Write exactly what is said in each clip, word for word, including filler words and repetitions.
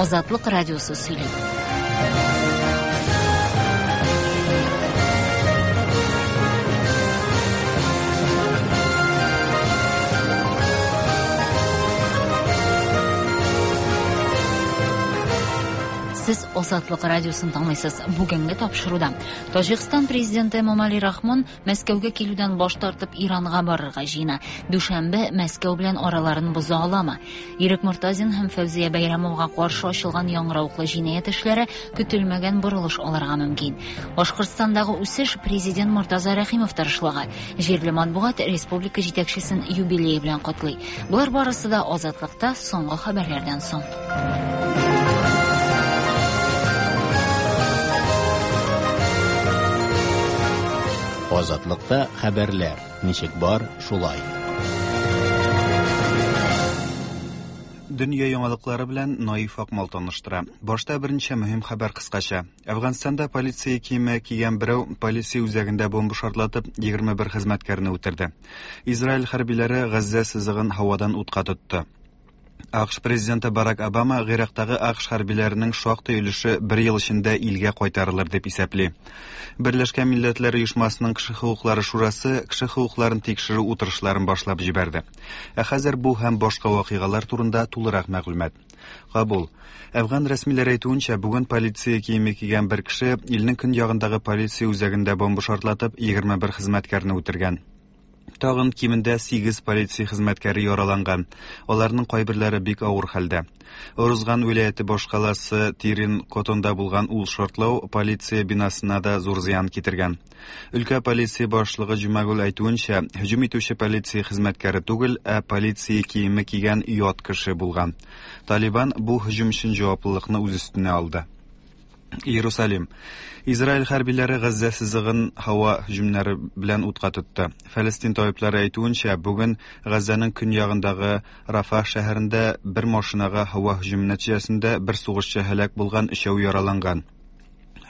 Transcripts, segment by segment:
Азатлык радиосы сөйли. Сез Азатлык радиосын тыңлыйсыз. Бүгенге тапшыруда Таҗикстан президенты Эмомали Рахмон Мәскәүгә килүдән баш тартып Иранга барырга җыена. Дүшәмбе Мәскәү белән араларын боза аламы? Ирек Мортазин һәм Фәүзия Бәйрәмовага каршы ачылган яңгыравыклы җинаять эшләре көтелмәгән борылыш алырга мөмкин. Башкортстандагы үсеш президент Мортаза Рәхимов тырышлыгы. Җирле матбугат республика җитәкчесен юбилее белән котлый. Болар барысы да Азатлыкта соңгы хәбәрләрдән соң. Азатлыкта хәбәрләр ничек бар, шулай. Дөнья яңалыклары белән Наиф Акмал таныштыра. Башта берничә мөһим хәбәр кыскача. Әфганстанда полиция киеме кигән берәү полиция үзәгендә бомба шартлатып егерме бер хезмәткәрне үтерде. Израиль хәрбиләре Газзә сызыгын һавадан утка тотты. АКШ президенты Барак Обама Гыйрактагы АКШ хәрбиләренең шактый өлеше бер ел эчендә илгә кайтарылыр дип исәпли. Берләшкән Милләтләр Оешмасының кеше хокуклары шурасы кеше хокукларын тикшерү утырышларын башлап җибәрде. Ә хәзер бу һәм башка вакыйгалар турында тулырак мәгълүмат. Кабул. Әфган рәсмиләре әйтүенчә, бүген полиция киеме кигән бер кеше илнең көньягындагы полиция үзәгендә бомба шартлатып егерме бер хезмәткәрне үтергән. Тагын кимендә сигез полиция хезмәткәре яраланган. Аларның кайберләре бик авыр хәлдә. Орузган вилаяте башкаласы Тирин Котонда булган ул шартлау полиция бинасына да зур зыян китергән. Өлкә полиция башлыгы Җумагул әйтүенчә, һөҗүм итүче полиция хезмәткәре түгел, ә полиция киеме кигән ят кеше булган. Талибан бу һөҗүм өчен җаваплылыкны үз өстенә алды. Иерусалим. Израиль хәрбиләре Газзә сызыгын һава һөҗүмнәре белән утка тотты. Фәлестин табиблары әйтүенчә, бүген Газзәнең көньягындагы Рафах шәһәрендә бер машинага һава һөҗүме нәтиҗәсендә бер сугышчы һәлак булган, өчәү яраланган.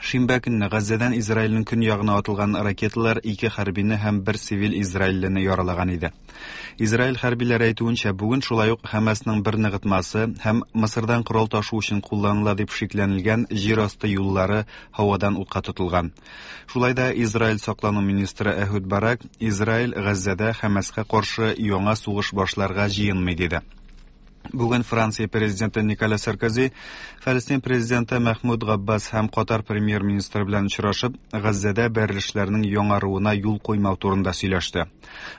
Шимбә көнне Газзәдән Израильнең көньягына атылган ракеталар ике хәрбине һәм бер цивиль израильлене яралаган иде. Израиль хәрбиләре әйтүенчә, бүген шулай ук Хәмасның бер ныгытмасы һәм Мысырдан корал ташу өчен кулланыла дип шикләнелгән җир асты юллары һавадан утка тотылган. Шулай да Израиль саклану министры Әһүд Барак Израиль Газзәдә Хәмаска каршы яңа сугыш башларга җыенмый диде. Бүген Франция президенты Николя Саркози, Фәлестин президенты Мәхмүд Габбас һәм Катар премьер-министры белән очрашып, Газзәдә бәрелешләрнең яңаруына юл куймау турында сөйләште.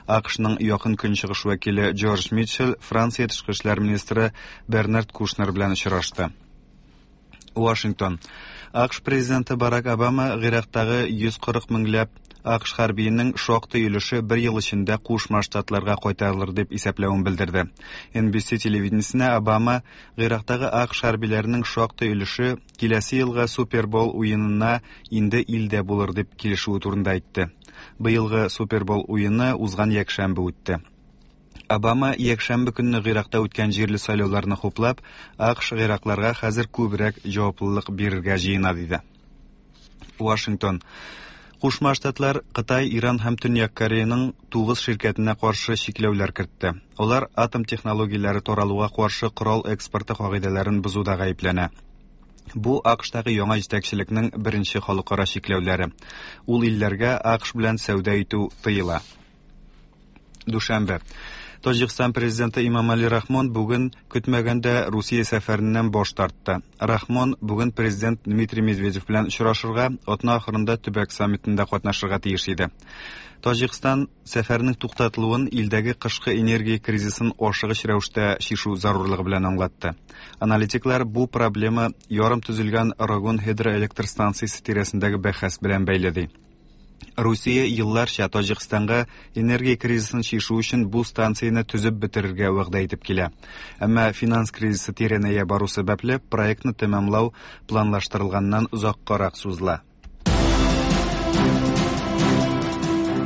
АКШның якын көнчыгыш вәкиле Джордж Митчелл Франция тышкы эшләр министры Бернард Кушнер белән очрашты. Вашингтон. АКШ президенты Барак Обама Гыйрактагы йөз кырык меңләп АКШ хәрбиенең шактый өлеше бер ел эчендә Кушма Штатларга кайтарылыр дип исәпләвен белдерде. Эн Би Си телевидениесенә Обама Гыйрактагы АКШ хәрбиләренең шактый өлеше киләсе елгы Супербол уенына инде илдә булыр дип килешүе турында әйтте. Быелгы Супербол уены узган якшәмбе үтте. Обама якшәмбе көнне Гыйракта үткән җирле сайлауларны хуплап, АКШ Гыйракларга хәзер күбрәк җаваплылык бирергә җыена диде. Вашингтон. Кушма Штатлар Кытай, Иран һәм Төньяк Кореяның тугыз ширкәтенә каршы чикләүләр кертте. Алар атом технологияләре таралуга каршы корал экспорты кагыйдәләрен бозуда гаепләнә. Бу АКШтагы яңа җитәкчелекнең беренче халыкара чикләүләре. Ул илләргә АКШ белән сәүдә итү тыела. Дүшәмбе. Таҗикстан президенты Имамали Рахмон бүген көтмәгәндә Русия сәфәреннән баш тартты. Рахмон бүген президент Дмитрий Медведев белән очрашырга, атна ахырында төбәк саммитында катнашырга тиеш иде. Таҗикстан сәфәренең туктатылуын илдәге кышкы энергия кризисын ашыгыч рәвештә чишү зарурлыгы белән аңлатты. Аналитиклар бу проблема ярым төзелгән Рогун гидроэлектр станциясе тирәсендәге бәхәс белән бәйле ди. Русия елларча Таҗикстанга энергия кризисын чишү өчен бу станцияне төзеп бетерергә вәгъдә итеп килә. Әмма финанс кризисы тирәнәя бару сәбәпле проектны тәмамлау планлаштырылганнан озаккарак сузыла.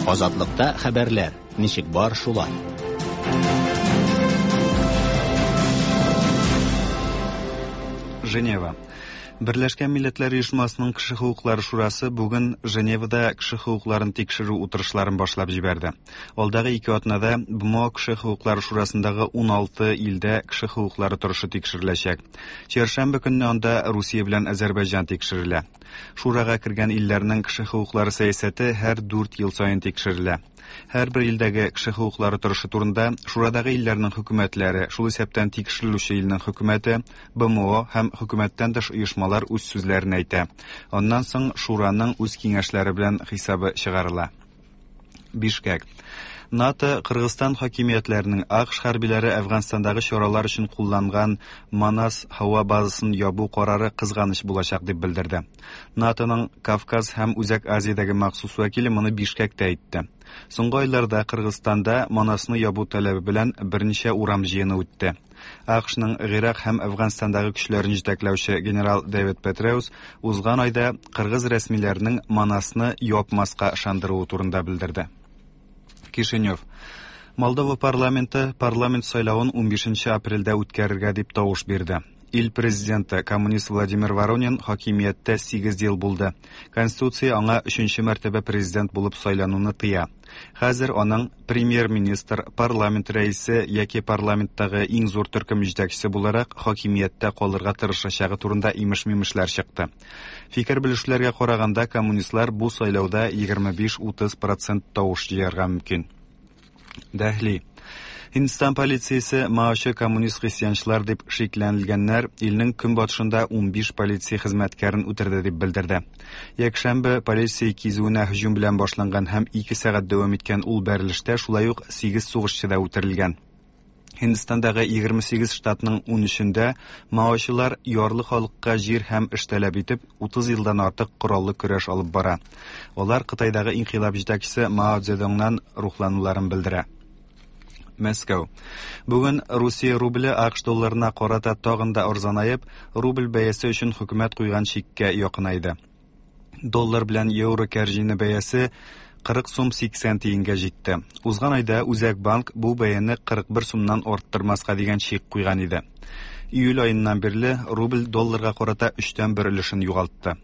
Азатлыкта хәбәрләр ничек бар, шулай. Женева. Берләшкән Милләтләр Оешмасының Кеше хокуклары шурасы бүген Женевада кеше хокукларын тикшерү утырышларын башлап җибәрде. Алдагы ике атнада Б М О Кеше хокуклары шурасындагы уналты илдә кеше хокуклары торышы тикшереләчәк. Чәршәмбе көнне анда Русия белән Азәрбайҗан тикшерелә. Шурага кергән илләрнең кеше хокуклары сәясәте һәр дүрт ел саен тикшерелә. Һәрбер илдәге кеше хокуклары торышы турында шурадагы илләрнең хөкүмәтләре, шул исәптән тикшерелүче илнең хөкүмәте, Б М О һәм хөкүмәттән тыш оешмалар үз сүзләрен әйтә. Аннан соң шураның үз киңәшләре белән хисабы чыгарыла. Бишкек. НАТО Кыргызстан хакимиятләренең А К Ш хәрбиләре Әфганстандагы чаралар өчен кулланган Манас һава базасын ябу карары кызганыч булачак дип белдерде. НАТОның Кавказ һәм Үзәк Азиядәге махсус вәкиле моны Бишкектә әйтте. Соңгы айларда Кыргызстанда Манасны ябу таләбе белән берничә урам җыены үтте. А К Шның Гыйрак һәм Әфганстандагы көчләрен җитәкләүче генерал Дэвид Петреус узган айда кыргыз рәсмиләренең Манасны япмаска ышандыруы турында белдерде. Кишинев. Молдова парламенты парламент сайлавын унбишенче апрельдә үткәрергә дип тавыш бирде. Ил президенты коммунист Владимир Воронин хакимияттә сигез ел булды. Конституция аңа өченче мәртәбә президент булып сайлануны тыя. Хәзер аның премьер-министр, парламент рәисе яки парламенттагы иң зур төркем җитәкчесе буларак хакимияттә калырга тырышачагы турында имеш-мимешләр чыкты. Фикер белешүләргә караганда, коммунистлар бу сайлауда егерме биш-утыз процент тавыш җыярга мөмкин. Дәһли. Һиндстан полициясе маочы коммунист христианчылар дип шикләнелгәннәр илнең көнбатышында унбиш полиция хезмәткәрен үтерде дип белдерде. Якшәмбе полиция кизүенә һөҗүм белән башланган һәм ике сәгать дәвам иткән ул бәрелештә шулай ук сигез сугышчы да үтерелгән. Һиндстандагы егерме сигез штатның унөчендә маочылар ярлы халыкка җир һәм эш таләп итеп утыз елдан артык кораллы көрәш алып бара. Алар Кытайдагы инкыйлаб җитәкчесе Мао Цзэдуннан рухлануларын белдерә. Мәскәү. Бүген Русия рубле А К Ш долларына карата тагын да арзанаеп, рубль бәясе өчен хөкүмәт куйган чиккә якынайды. Доллар белән евро кәрҗине бәясе кырык сум сиксән тиенгә җитте. Узган айда Үзәк банк бу бәяне кырык бер сумнан арттырмаска дигән чик куйган иде. Июль аеннан бирле рубль долларга карата өчтән бер өлешен югалтты.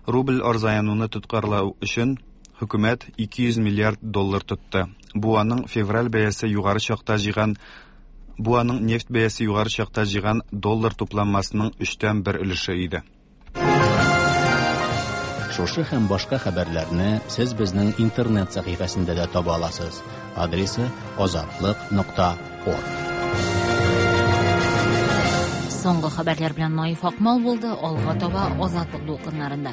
Рубль арзанаюны тоткарлау өчен хөкүмәт ике йөз миллиард доллар тотты. Бу аның февраль бәясе югары чакта җыйган, бу аның нефть бәясе югары чакта җыйган доллар тупланмасының өчтән бер өлеше иде. Шушы һәм башка хәбәрләрне сез безнең интернет сәхифәсендә дә таба аласыз. Адресы азатлык нокта орг. Соңгы хәбәрләр белән Наиф Акмал булды, алга таба Азатлык дулкыннарында.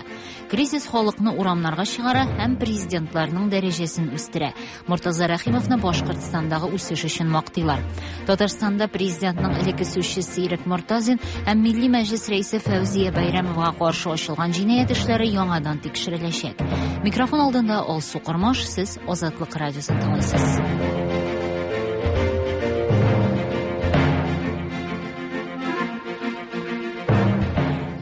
Кризис халыкны урамнарга чыгара һәм президентларның дәрәҗәсен үстерә. Мортаза Рәхимовны Башкортстандагы үсеш өчен мактыйлар. Татарстанда президентның элекке сүзчесе Ирек Мортазин һәм Милли Мәҗлис рәисе Фәүзия Бәйрәмовага каршы ачылган җинаять эшләре яңадан тикшереләчәк. Микрофон алдында Алсу Кормаш, сез Азатлык радиосын тыңлыйсыз.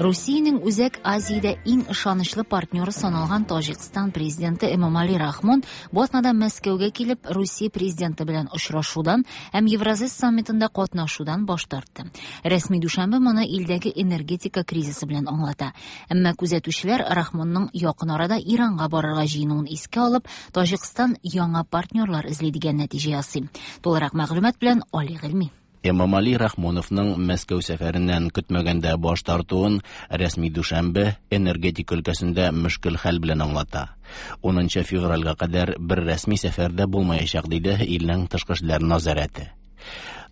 Русиянең Үзәк Азиядә иң ышанычлы партнеры саналган Таҗикстан президенты Эмомали Рахмон бу атнада Мәскәүгә килеп, Русия президенты белән очрашудан һәм Евразия саммитында катнашудан баш тартты. Рәсми Дүшәмбе моны илдәге энергетика кризисы белән аңлата. Әмма күзәтүчеләр Рахмонның якын арада Иранга барырга җыенуын искә алып, Таҗикстан яңа партнерлар эзли дигән нәтиҗә ясый. Тулырак мәгълүмат белән Али Гыйльми. Эмомали Рахмоновның Мәскәү сәфәреннән көтмәгәндә баш тартуын рәсми Дүшәмбе энергетика өлкәсендә мөшкел хәл белән аңлата. Унынчы февральгә кадәр бер рәсми сәфәрдә булмаячак, диде илнең тышкы эшләр назарәте.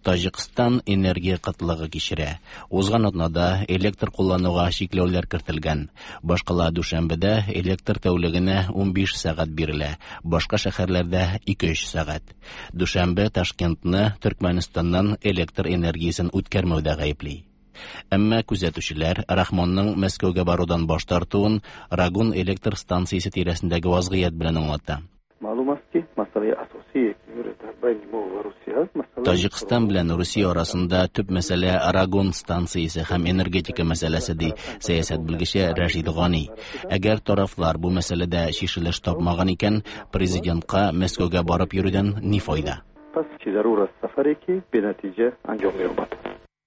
Таҗикстан энергия кытлыгы кичерә. Узган атнада электр куллануга чикләүләр кертелгән. Башкала Дүшәмбедә электр тәүлегенә унбиш сәгать бирелә, башка шәһәрләрдә ике-өч сәгать. Дүшәмбе Ташкентны Төркмәнстаннан электр энергиясен үткәрмәүдә гаепли. Әмма күзәтүчеләр Рахмонның Мәскәүгә барудан баш тартуын Рогун электр станциясе тирәсендәге вазгыять белән аңлата. Таҗикстан белән Русия арасында төп мәсьәлә Рогун станциясе һәм энергетика мәсьәләсе, ди сәясәт белгече Рәшид Гани. Әгәр тарафлар бу мәсьәләдә чишелеш тапмаган икән, президентка Мәскәүгә барып йөрүдән ни файда?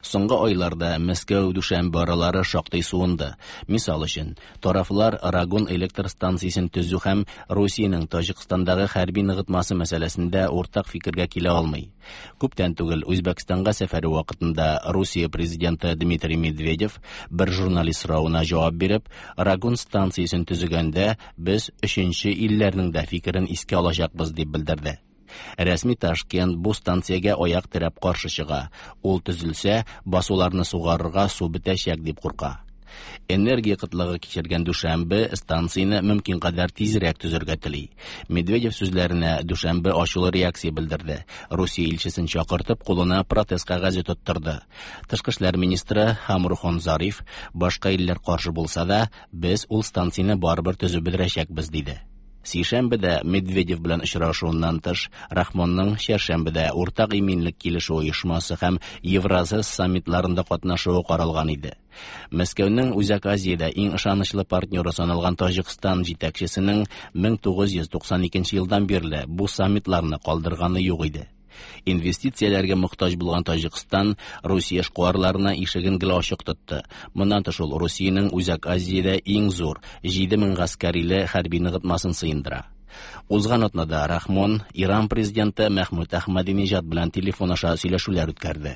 Соңгы айларда Мәскәү Дүшәнбе аралары шактый суынды. Мисал өчен, тарафлар Рогун электр станциясен төзү һәм Русиянең Таҗикстандагы хәрби ныгытмасы мәсьәләсендә уртак фикергә килә алмый. Күптән түгел Үзбәкстанга сәфәре вакытында Русия президенты Дмитрий Медведев бер журналист соравына җавап биреп, Рогун станциясен төзегәндә без өченче илләрнең дә фикерен искә алачакбыз дип белдерде. Рәсми Ташкент бу станциягә аяк терәп каршы чыга. Ул төзелсә, басуларны сугарырга су бетәчәк дип курка. Энергия кытлыгы кичергән Дүшәнбе станцияне мөмкин кадәр тизрәк төзергә тели. Медведев сүзләренә Дүшәнбе ачулы реакция белдерде. Русия илчесен чакыртып, кулына протест кәгазе тоттырды. Тышкы эшләр министры Хамрухон Зариф, башка илләр каршы булса да, без ул станцияне барыбер төзеп бетерәчәкбез, диде. Сишәмбедә Медведев белән очрашуыннан тыш, Рахмонның чәршәмбедә уртак иминлек килешү оешмасы һәм Евразия саммитларында катнашуы каралган иде. Мәскәүнең Үзәк Азиядә иң ышанычлы партнеры саналган Таҗикстан җитәкчесенең мең тугыз йөз туксан икенче елдан бирле бу саммитларны калдырганы юк иде. Инвестицияләргә мохтаҗ булган Таҗикстан Русия эшкуарларына ишеген гел ачык тотты. Моннан тыш ул Русиянең Үзәк Азиядә иң зур җиде мең гаскәриле хәрби ныгытмасын сыендыра. Узган атнада Рахмон Иран президенты Мәхмүд Әхмәдинежад белән телефон аша сөйләшүләр үткәрде.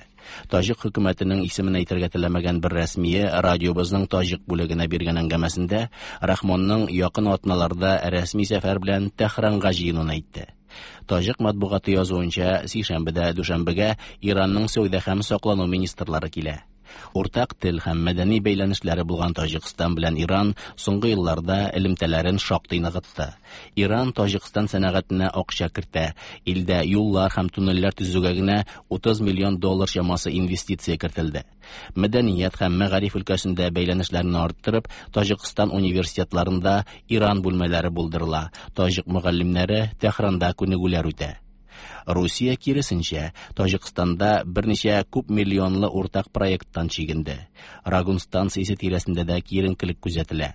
Таҗик хөкүмәтенең исемен әйтергә теләмәгән бер рәсмие радиобызның таҗик бүлегенә биргән әңгәмәсендә Рахмонның якын атналарда рәсми сәфәр белән Тәһранга җыенуын әйтте. Таҗик матбугаты язуынча, сишәмбедә Дүшәнбегә Иранның сәүдә һәм саклану министрлары килә. Уртак тел һәм мәдәни бәйләнешләре булган Таҗикстан белән Иран соңгы елларда элемтәләрен шактый ныгытты. Иран Таҗикстан сәнәгатенә акча кертә, илдә юллар һәм туннельләр төзүгә генә утыз миллион доллар чамасы инвестиция кертелде. Мәдәният һәм мәгариф өлкәсендә бәйләнешләрне арттырып, Таҗикстан университетларында Иран бүлмәләре булдырыла. Таҗик мөгаллимнәре Тәһранда күнегүләр үтә. Русия киресенчә Таҗикстанда берничә күп миллионлы уртак проекттан чигенде. Рогун станциясе тирәсендә дә киеренкелек күзәтелә.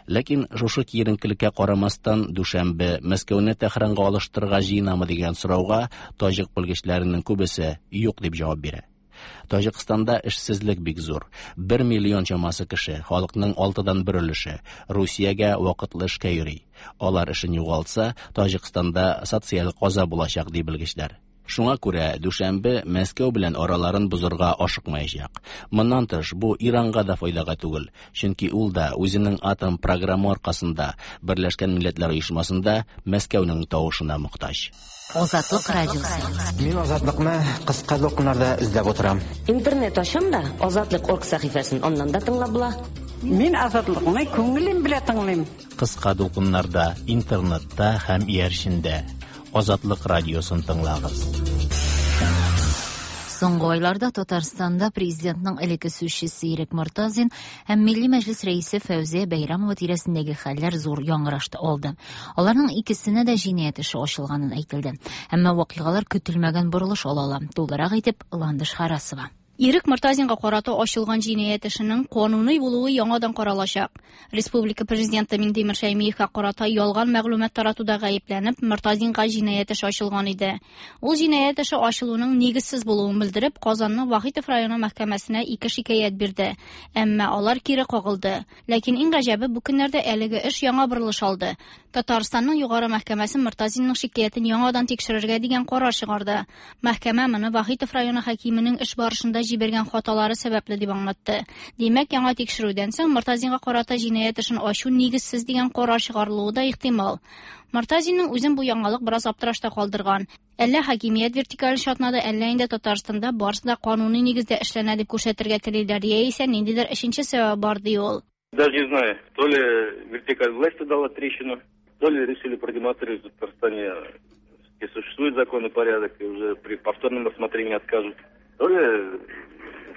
Ләкин шушы киеренкелеккә карамастан Дүшәнбе Мәскәүне Тәһранга алыштырырга җыенамы дигән сорауга таҗик белгечләренең күбесе юк дип җавап бирә. Таҗикстанда эшсезлек бик зур. Бер миллион чамасы кеше, халыкның алтыдан бер өлеше Русиягә вакытлы эшкә йөри. Алар эшен югалтса, Таҗикстанда социаль каза булачак ди белгечләр. Шуңа күрә Дүшәнбе Мәскәү белән араларын бозырга ашыкмаячак. Моннан тыш, бу Иранга да файдага түгел, чөнки ул да үзенең атом программы аркасында Берләшкән Милләтләр Оешмасында Мәскәүнең тавышына мохтаҗ. Азатлык радиосы. Мин Азатлыкны кыска дулкыннарда эзләп утырам. Интернет ачам да Азатлык орг сәхифәсен аннан да тыңлап була. Мин Азатлыкны күңелем белән тыңлыйм. Кыска дулкыннарда, интернетта һәм иярчендә Азатлык радиосын тыңлагыз. Соңгы айларда Татарстанда президентның элекке сүзчесе Ирек Мортазин һәм Милли Мәҗлес рәисе Фәүзия Бәйрәмова тирәсендәге хәлләр зур яңгыраш алды. Аларның икесенә дә җинаять эше ачылганын әйтелде. Әмма вакыйгалар көтелмәгән борылыш ала ала. Тулырак итеп Ландыш Харасова. Ирек Мортазинга карата ачылган җинаять эшенең кануни булуы яңадан каралачак. Республика президенты Минтимер Шәймиевка карата ялган мәгълүмат таратуда гаепләнеп, Мортазинга җинаять эше ачылган иде. Ул җинаять эше ачылуның нигезсез булуын белдереп, Казанның Вахитов районы мәхкәмәсенә ике шикаять бирде. Әмма алар кире кагылды. Ләкин иң гаҗәбе, бу көннәрдә әлеге эш яңа борылыш алды. Татарстанның югары мәхкәмәсе Мортазинның шикаятен яңадан тикшерергә дигән карар чыгарды. Мәхкәмә моны Вахитов районы хакименең эш барышында җибәргән хаталары сәбәпле дип аңлатты. Димәк, яңа тикшерүдән соң Мортазинга карата җинаять эшен ачу нигезсез дигән карар чыгарылуы да ихтимал. Мортазинның үзен бу яңалык бераз аптырашта калдырган. Әллә хакимият вертикаль чатнады, әллә инде Татарстанда барысы да кануни нигездә эшләнә дип күрсәтергә телиләр, яисә ниндидер өченче сәбәп бар ди ул. Даже не знаю, то ли вертикаль власти дала трещину, то ли решили продемонстрировать в Татарстане, где существует закон и порядок, и уже при повторном рассмотрении откажут, то ли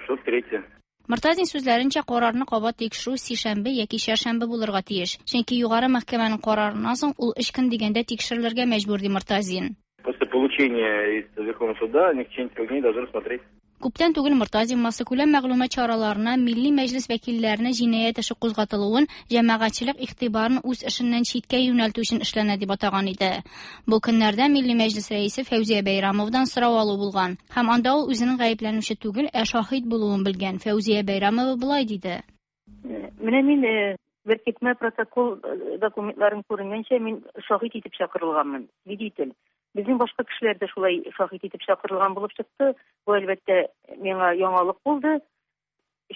что-то третье. Мортазин сүзләренчә, карарны кабат тикшерү сишәмбе яки чәршәмбе булырга тиеш. Чөнки югары мәхкәмәнең карарыннан соң ул өч көн дигәндә тикшерелергә мәҗбүр ди Мортазин. После получения из Верховного суда они в течение трех дней должны рассмотреть. Күптән түгел Мортазин массакүләм мәгълүмат чараларына Милли Мәҗлес вәкилләренә җинаять эше кузгатылуын җәмәгатьчелек игътибарын үз эшеннән читкә юнәлтү өчен эшләнә дип атаган иде. Бу көннәрдә Милли Мәҗлес рәисе Фәүзия Бәйрамовдан сорау алу булган һәм анда ул үзенең гаепләнүче түгел, ә шаһит булуын белгән. Фәүзия Бәйрамова болай диде: Менә мин беркетмә протокол документларын күренгәнчә мин шаһит итеп чакырылганмын, свидетель. Безнең башка кешеләр дә шулай шаһит итеп чакырылган булып чыкты. Бу әлбәттә миңа яңалык булды.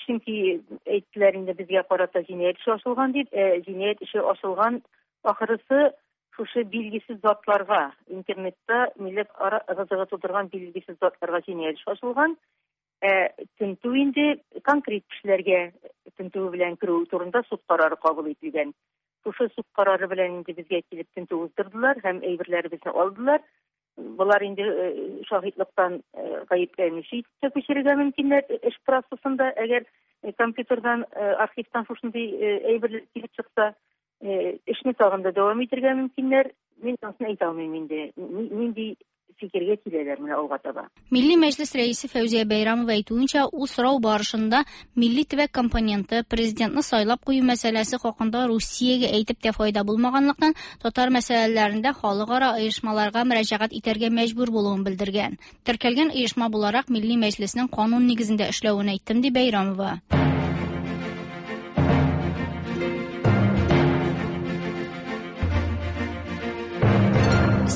Чөнки әйттеләр инде безгә карата җинаять эше ачылган дип, ә җинаять эше ачылган ахырысы шушы билгесез затларга, интернетта милләт ара ыгы-зыгы тудырган билгесез затларга җинаять эше ачылган. Ә тентү инде конкрет кешеләргә тентү белән керү турында суд карары кабул ителгән. Шушы суд карары белән инде безгә килеп тентү уздырдылар һәм әйберләребезне алдылар. Болар инде шаһитлыктан гаепләнүче итеп күчерергә мөмкиннәр эш процессында, әгәр компьютердан, архивтан шушындый әйберләр килеп чыкса, эшне тагын да дәвам итәргә мөмкиннәр. Мин анысын әйтә алмыйм инде, нинди фикергә киләләр менә алга таба. Милли Мәҗлес рәисе Фәүзия Бәйрамова әйтүенчә, ул сорау барышында милли төбәк компоненты президентны сайлап кую мәсьәләсе хакында Русиягә әйтеп тә файда булмаганлыктан, татар мәсьәләләрендә халыкара оешмаларга мөрәҗәгать итәргә мәҗбүр булуын белдергән. Теркәлгән оешма буларак Милли Мәҗлеснең канун нигезендә эшләвен әйттем, ди Бәйрамова.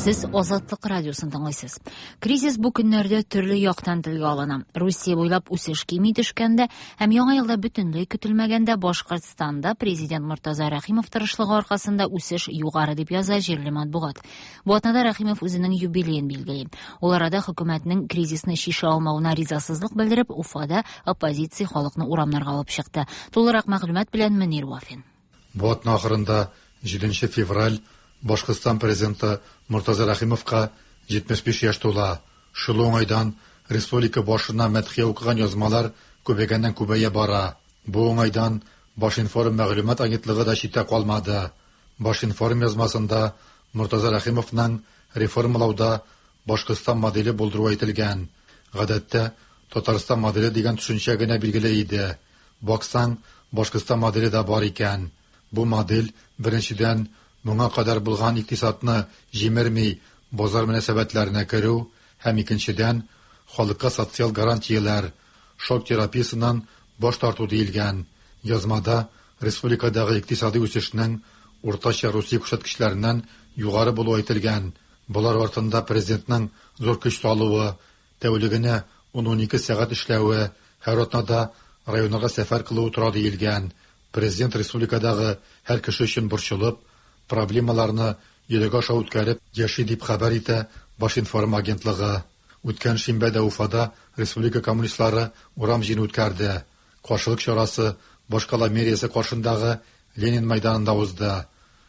Сез Азатлык радиосын тыңлыйсыз. Кризис бу көннәрдә төрле яктан телгә алына. Русия буйлап үсеш кими төшкәндә һәм яңа елда бөтенләй көтелмәгәндә Башкортстанда президент Мортаза Рәхимов тырышлыгы аркасында үсеш югары дип яза җирле матбугат. Бу атнада Рәхимов үзенең юбилеен билгели. Ул арада хөкүмәтнең кризисны шиша алмавына ризасызлык белдереп, Уфада оппозиция халыкны урамнарга алып чыкты. Тулырак мәгълүмат белән Мөнир Вафин. Бу атна ахырында җиденче февраль Башкортстан президенты Мортаза Рәхимовка җитмеш биш яшь тула. Шул уңайдан республика башына мәдхия укыган язмалар күбәйгәннән күбәя бара. Бу уңайдан Башинформ мәгълүмат агентлыгы да читтә калмады. Башинформ язмасында Мортаза Рәхимовның реформалауда Башкортстан моделе булдыру әйтелгән. Гадәттә Татарстан моделе дигән төшенчә генә билгеле иде. Баксаң, Башкортстан моделе дә бар икән. Бу модель беренчедән моңа кадәр булган икътисадны җимерми базар мөнәсәбәтләренә керү һәм икенчедән халыкка социаль гарантияләр, шок терапиясеннән баш тарту диелгән. Язмада республикадагы икътисади үсешнең уртача Русия күрсәткечләреннән югары булуы әйтелгән. Болар артында президентның зур көч салуы, тәүлегенә ун-унике сәгать эшләве, һәр атнада районнарга сәфәр кылуы тора диелгән. Президент республикадагы һәр кеше өчен борчылып, проблемаларны йөрәк аша үткәреп яши дип хәбәр итә Башинформ агентлыгы. Үткән шимбәдә Уфада республика коммунистлары урам җыены үткәрде. Каршылык чарасы башкала мэриясе каршындагы Ленин мәйданында узды.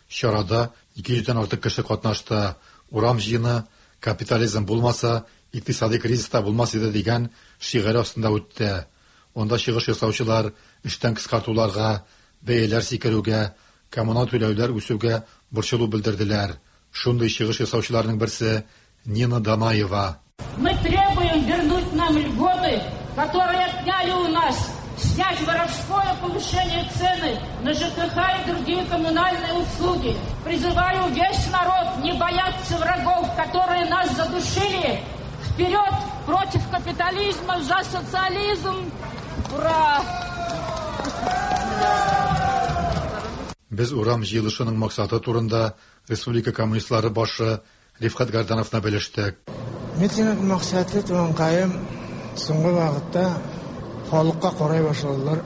Чарада ике йөздән артык кеше катнашты. Урам җыены капитализм булмаса, икътисади кризис та булмас иде дигән шигаре астында үтте. Анда чыгыш ясаучылар эштән кыскартуларга, бәяләр сикерүгә, коммуналь түләүләр үсүгә борчылу белдерделәр. Шундый чыгыш ясаучыларның берсе Нина Данаева. Мы требуем вернуть нам льготы, которые отняли у нас, снять воровское повышение цены на ЖКХ и другие коммунальные услуги. Призываю весь народ не бояться врагов, которые нас задушили. Вперед против капитализма, за социализм! Ура! Без урам җыелышының максаты турында республика коммунистлары башы Рифкат Гардановны белештек. Митинг максаты туганкаем, соңгы вакытта халыкка карай башладылар.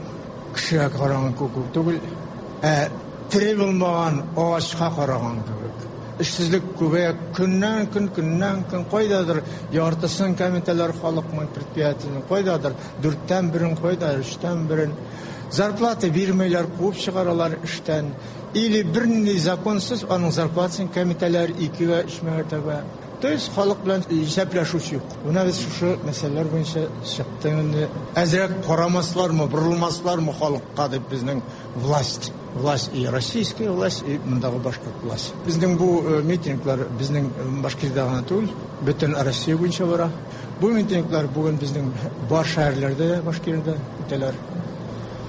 Кешегә караган күк түгел, ә тере булмаган агачка караган кебек. Эшсезлек күбәя, көннән көн, көннән көн кайдадыр яртысын кәмитәләр халыкның предприятиенең кайдадыр дүрттән берен кайдадыр өчтән берен. Зарплата бирмәйләр, куып чыгаралар эштән. Или бернинди законсыз аның зарплатасын кәмитәләр икегә, өч мәртәбә. То есть халык белән исәпләшүче юк. Менә без шушы мәсьәләләр буенча чыктык инде. Әзрәк карамаслармы, борылмаслармы халыкка дип безнең власть, власть и российская власть, и мондагы башкорт власть. Безнең бу митинглар безнең Башкирда гына түгел, бөтен Россия буенча бара. Бу митинглар бүген безнең бар шәһәрләрдә, Башкирда үтәләр.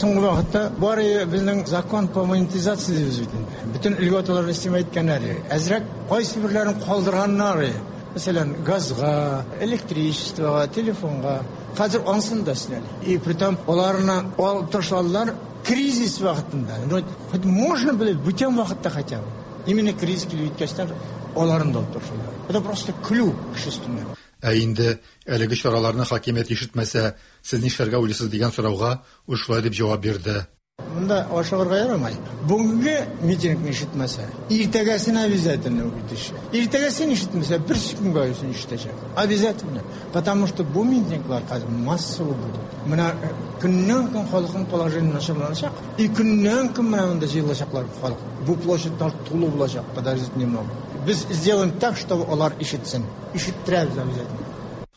Соңгы вакытта бары безнең закон по монетизации дибез бит инде. Бөтен льготаларны истемә иткәннәр. Әзрәк кайсы берләрен калдырганнар. Мәсәлән, газга, электричествога, телефонга. Хәзер ансын да сняли. И притом аларны алып ташладылар кризис вакытында. Ну, хоть можно было бүтән вакытта хотя бы. Именно кризис килеп җиткәчтән аларны да алып ташладылар. Это просто көлү кеше өстеннән. Ә инде әлеге чараларны хакимият ишетмәсә, сез нишләргә уйлыйсыз дигән сорауга ул шулай дип җавап бирде. Монда ашыгырга ярамый. Бүгенге митингны ишетмәсә, иртәгәсен обязательно үтеше. Иртәгәсен ишетмәсә, бер көнгә үзен ишетәчәк. Обязательно. Потому что бу митинглар хәзер массово будут. Менә көннән-көн халыкның положение начарланачак. И көннән-көн менә монда җыелачаклар халык. Бу площадьлар тулы булачак, подождите немного. Без сделаем так, чтобы алар ишетсен. Ишеттерәбез обязательно.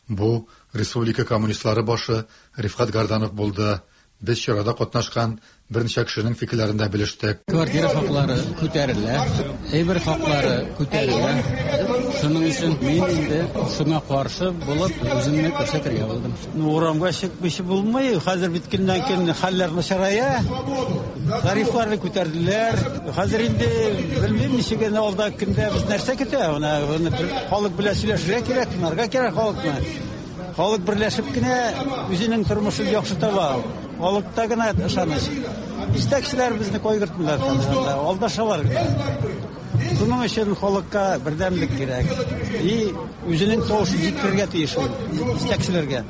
Бу республика коммунистлары башы Рифкат Гарданов булды. Без чарада катнашкан берничә кешенең фикерләрен дә белештек. Квартира хаклары күтәрелә, әйбер хаклары күтәрелә. Шуның өчен мин инде шуңа каршы булып үземне күрсәтергә булдым. Ну, урамга чыкмыйча булмый. Хәзер бит көннән-көн хәлләр начарая. Тарифларны күтәрделәр. Хәзер инде белмим ничек инде алда көндә без нәрсә көтә. Менә халык белән сөйләшергә кирәк, тыңларга кирәк халыкны. Халык берләшеп кенә үзенең тормышын яхшы таба. Халыкта гына ышаныч. Җитәкчеләр безне кайгыртмыйлар, алдашалар. Шуның өчен халыкка бердәмлек кирәк. И үзенең тавышын җиткерергә тиеш ул җитәкчеләргә.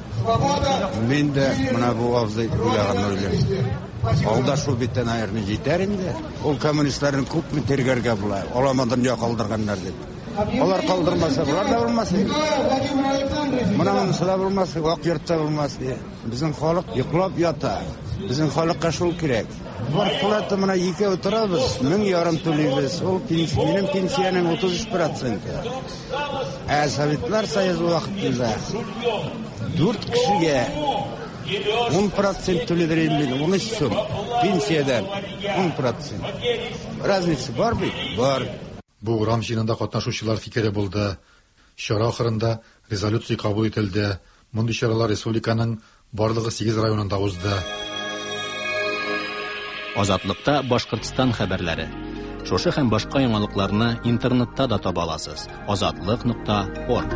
Мин дә менә бу абзый уйлаган уйлыйм. Алдашу бит, наверное, җитәр инде. Ул коммунистларны күпме тиргәргә була. Алама дөнья калдырганнар дип. Алар калдырмаса, булар да булмас. Менә монысы да булмас, вак йортта булмас. Безнең халык йоклап ята. Безнең халыкка шул кирәк. Зарплата менә икәү торабыз, мең ярым түлибез. Ул минем пенсиянең утыз өч проценты. Ә Советлар Союзы вакытында дүрт кешегә ун процент түлидер инде, ун өч сум пенсиядән ун процент. Разница бар бит? Бар. Бу урам җыенында катнашучылар фикере булды. Чара ахырында резолюция кабул ителде. Мондый чаралар республиканың барлыгы сигез районында узды. Азатлыкта Башкортстан хәбәрләре. Шушы һәм башка яңалыкларны интернетта да таба аласыз. Азатлык нокта орг.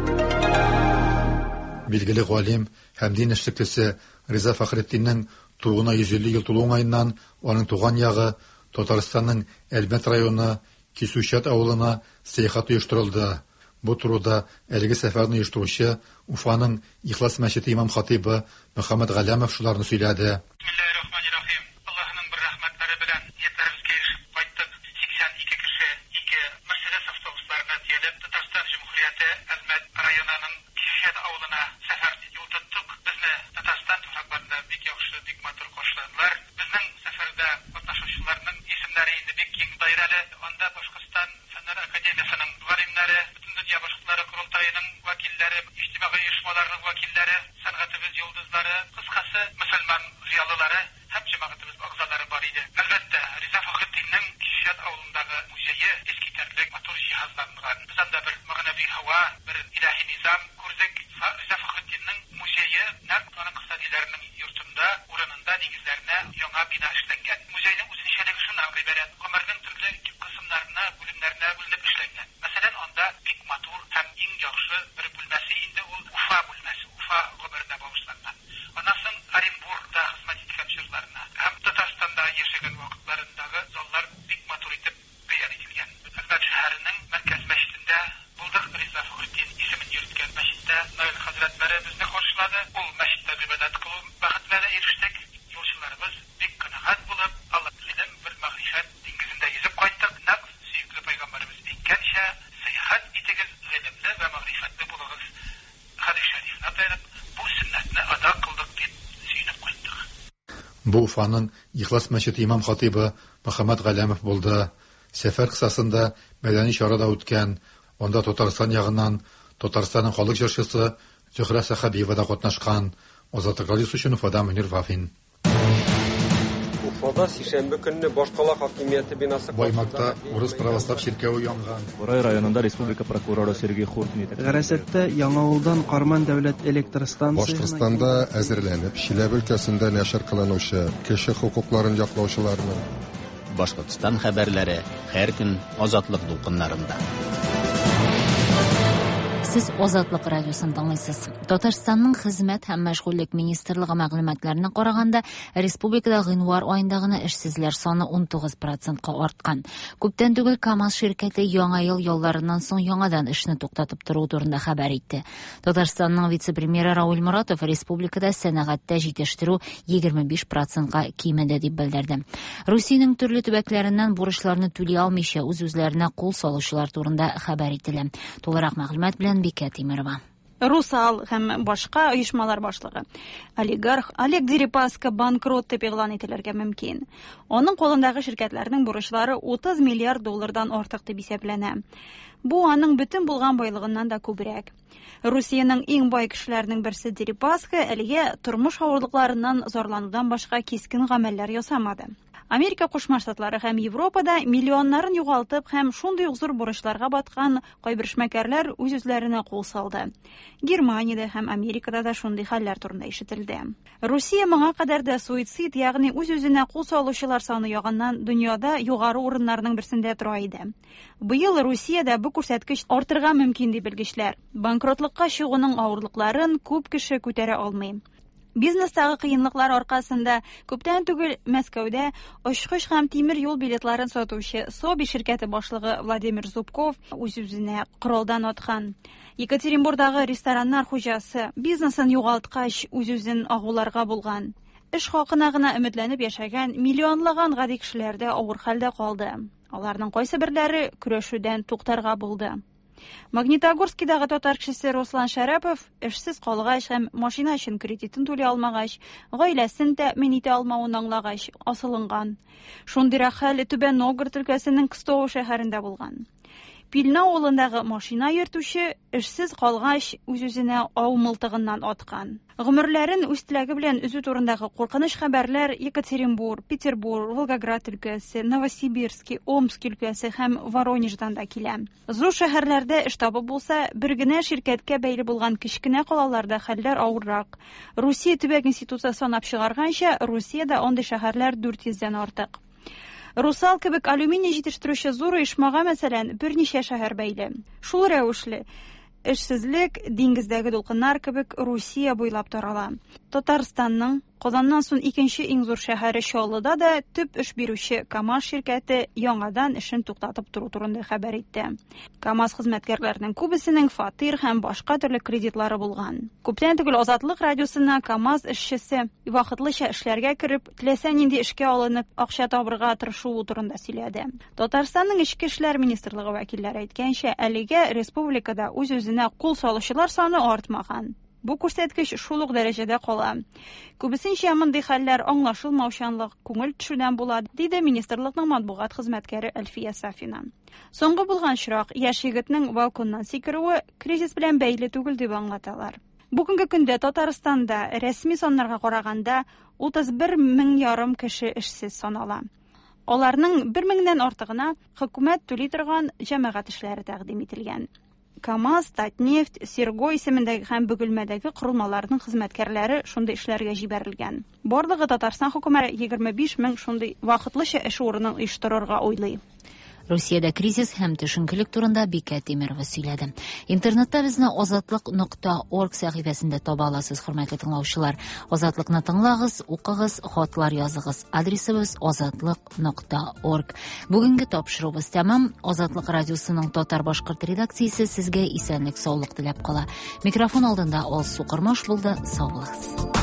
Билгеле галим һәм дин эшлеклесе Риза Фәхретдиннең тууына йөз илле ел тулу уңаеннан аның туган ягы Татарстанның Әлмәт районы Кисүчат авылына сәяхәт оештырылды. Бу турыда әлеге сәфәрне оештыручы Уфаның Ихлас мәчете имам хатибы Мөхәммәд Галәмов шуларны сөйләде. Бисмиллаһир-рахманир-рахим. Аллаһның бер рәхмәтләре белән ниятебезгә ирешеп кайттык. Сиксән ике кеше ике Мерседес автобусларына төялеп Татарстан Җөмһүрияте Әлмәт районының Кисүчат авылына сәфәр юл тоттык. Безне Татарстан туфракларында бик яхшы, бик матур каршыладылар. Безнең сәфәрдә катнашучыларның исемнәре инде бик киң даирәле. Анда Башкортстан Фәннәр Академиясының галимнәре, Бөтендөнья башкортлары корылтаеның вәкилләре, иҗтимагый оешмаларының вәкилләре, сәнгатебез йолдызлары, кыскасы мөселман зыялылары һәм җәмәгатебез әгъзалары бар иде. Әлбәттә, Риза Фәхретдиннең Кисүчат авылындагы музее искитәрлек матур җиһазланган. Без анда бер мәгънәви һава, бер илаһи низам күрдек. Риза Фәхретдиннең музее нәкъ аның кыстадиләренең йортында, урынында, нигезләренә яңа бина эшләнгән. Музейның үзенчәлеге шуннан гыйбарәт: гомернең төрле кысымнарына, бүлемнәренә бүленеп эшләнгән. Мәсәлән, анда бик матур һәм иң яхшы бер бүлмәсе инде ул Уфа бүлмәсе, Уфа гомеренә багышланган. Аннан соң Оренбургта хезмәт иткән чорларына һәм Татарстанда яшәгән вакытларындагы заллар бик матур итеп бәян ителгән. Әлмәт шәһәренең мәркәз мәчетендә булдык. Риза Фәхретдин исемен йөрткән мәчеттә Наил хәзрәтләре безне каршылады. Ул мәчеттә гыйбадәт кылу бәхетенә дә ирештек. Юлчыларыбыз бик канәгать булып, Алла гыйлем бер мәгърифәт диңгезендә йөзеп кайттык. Нәкъ сөекле пәйгамбәребез әйткәнчә, сәяхәт итегез, гыйлемле вә мәгърифәтле булыгыз. Хәдис шәрифенә таянып, бу сөннәтне ада кылдык дип сөенеп кайттык. Бу Уфаның Ихлас мәчете имам хатибы Мөхәммәд Галәмов булды. Сәфәр кысасында мәдәни чара да үткән. Анда Татарстан ягыннан Татарстанның халык җырчысы Зөһрә Сәхәбиева да катнашкан. Азатлык радиосы өчен Уфадан Мөнир Вафин. Уфада сишәмбе көнне башкала хакимияте бинасы Баймакта урыс православ чиркәве янган. Бурай районында республика прокуроры Сергей Хуртин Гарасатта Яңавылдан Карман дәүләт электр станциясенә Башкортстанда әзерләнеп, Чиләбе өлкәсендә нәшер кылынучы кеше хокукларын яклаучыларның Башкортстан хәбәрләре һәр көн Азатлык дулкыннарында. Сез Азатлык радиосын тыңлыйсыз. Татарстанның Хезмәт һәм мәшгульлек министрлыгы мәгълүматларына караганда, республикада гыйнвар аенда гына эшсезләр саны ун тугыз процентка арткан. Күптән түгел КАМАЗ ширкәте яңа ел ялларыннан соң яңадан эшне туктатып тору турында хәбәр итте. Татарстанның вице-премьеры Рауль Моратов республикада сәнәгатьтә җитештерү егерме биш процентка кимеде дип белдерде. Русиянең төрле төбәкләреннән бурычларны түли алмыйча үз-үзләренә кул салучылар турында хәбәр ителә. Тулырак мәгълүмат белән Бикә Тимирова. Русал һәм башка оешмалар башлыгы олигарх Олег Дерипаска банкрот дип игълан ителергә мөмкин. Аның кулындагы ширкәтләрнең бурычлары утыз миллиард доллардан артык дип исәпләнә. Бу аның бөтен булган байлыгыннан да күбрәк. Русиянең иң бай кешеләренең берсе Дерипаска әлегә тормыш авырлыкларыннан зарланудан башка кискен гамәлләр ясамады. Америка Кушма Штатлары һәм Европада миллионнарын югалтып һәм шундый ук зур бурычларга баткан кайбер эшмәкәрләр үз-үзләренә кул салды. Германиядә һәм Америкада да шундый хәлләр турында ишетелде. Русия моңа кадәр дә суицид, ягъни үз-үзенә кул салучылар саны ягыннан дөньяда югары урыннарның берсендә тора иде. Быел Русиядә бу күрсәткеч артырга мөмкин дип белгечләр. Банкротлыкка чыгуның авырлыкларын күп кеше күтәрә алмый. Бизнестагы кыенлыклар аркасында күптән түгел Мәскәүдә очкыч һәм тимер юл билетларын сатучы Соби ширкәте башлыгы Владимир Зубков үз-үзенә коралдан аткан. Екатеринбургдагы рестораннар хуҗасы бизнесын югалткач үз-үзен агуларга булган. Эш хакына гына өметләнеп яшәгән миллионлаган гади кешеләр дә авыр хәлдә калды. Аларның кайсы берләре көрәшүдән туктарга булды. Магнитогорскидагы татар кешесе Руслан Шәрәпов эшсез калгач һәм машина өчен кредитын түли алмагач, гаиләсен тәэмин итә алмавын аңлагач, асылынган. Шундыйрак хәл Түбән Новгород өлкәсенең Кстово шәһәрендә булган. Пильна авылындагы машина йөртүче эшсез калгач үз-үзенә ау мылтыгыннан аткан. Гомерләрен үз теләге белән өзү турындагы куркыныч хәбәрләр Екатеринбург, Петербург, Волгоград өлкәсе, Новосибирский, Омск өлкәсе һәм Воронеждан да килә. Зур шәһәрләрдә эш табып булса, бер генә ширкәткә бәйле булган кечкенә калаларда хәлләр авыррак. Русия төбәк институты санап чыгарганча, Русиядә андый шәһәрләр дүрт йөздән артык. Русал кебек алюминий җитештерүче зур оешмага, мәсәлән, берничә шәһәр бәйле. Шул рәвешле эшсезлек диңгездәге дулкыннар кебек Русия буйлап тарала. Татарстанның Казаннан соң икенче иң зур шәһәре Чаллыда да төп эш бирүче КАМАЗ ширкәте яңадан эшен туктатып тору турында хәбәр итте. КАМАЗ хезмәткәрләренең күбесенең фатир һәм башка төрле кредитлары булган. Күптән түгел Азатлык радиосына КАМАЗ эшчесе вакытлыча эшләргә кереп, теләсә нинди эшкә алынып, акча табырга тырышуы турында сөйләде. Татарстанның Эчке эшләр министрлыгы вәкилләре әйткәнчә, әлегә республикада үз-үзенә кул салучылар саны артмаган. Бу күрсәткеч шул ук дәрәҗәдә кала. Күбесенчә мондый хәлләр аңлашылмаучанлык, күңел төшүдән була, диде министрлыкның матбугат хезмәткәре Әлфия Сафина. Соңгы булган очрак яшь егетнең балконнан сикерүе кризис белән бәйле түгел дип аңлаталар. Бүгенге көндә Татарстанда рәсми саннарга караганда утыз бер мең ярым кеше эшсез санала. Аларның бер меңнән артыгына хөкүмәт түли торган җәмәгать эшләре тәкъдим ителгән. КАМАЗ, Татнефть, Серго исемендәге һәм Бөгелмәдәге корылмаларның хезмәткәрләре шундый эшләргә җибәрелгән. Барлыгы Татарстан хөкүмәте егерме биш мең шундый вакытлыча эш урынын оештырырга уйлый. Русиядә кризис һәм төшенкелек турында Бикә Тимирова сөйләде. Интернетта безне азатлык нокта орг сәхифәсендә таба аласыз, хөрмәтле тыңлаучылар. Азатлыкны тыңлагыз, укыгыз, хатлар языгыз. Адресыбыз азатлык нокта орг. Бүгенге тапшыруыбыз тәмам. Азатлык радиосының татар-башкорт редакциясе сезгә исәнлек, саулык теләп кала. Микрофон алдында Алсу Кормаш булды. Сау булыгыз.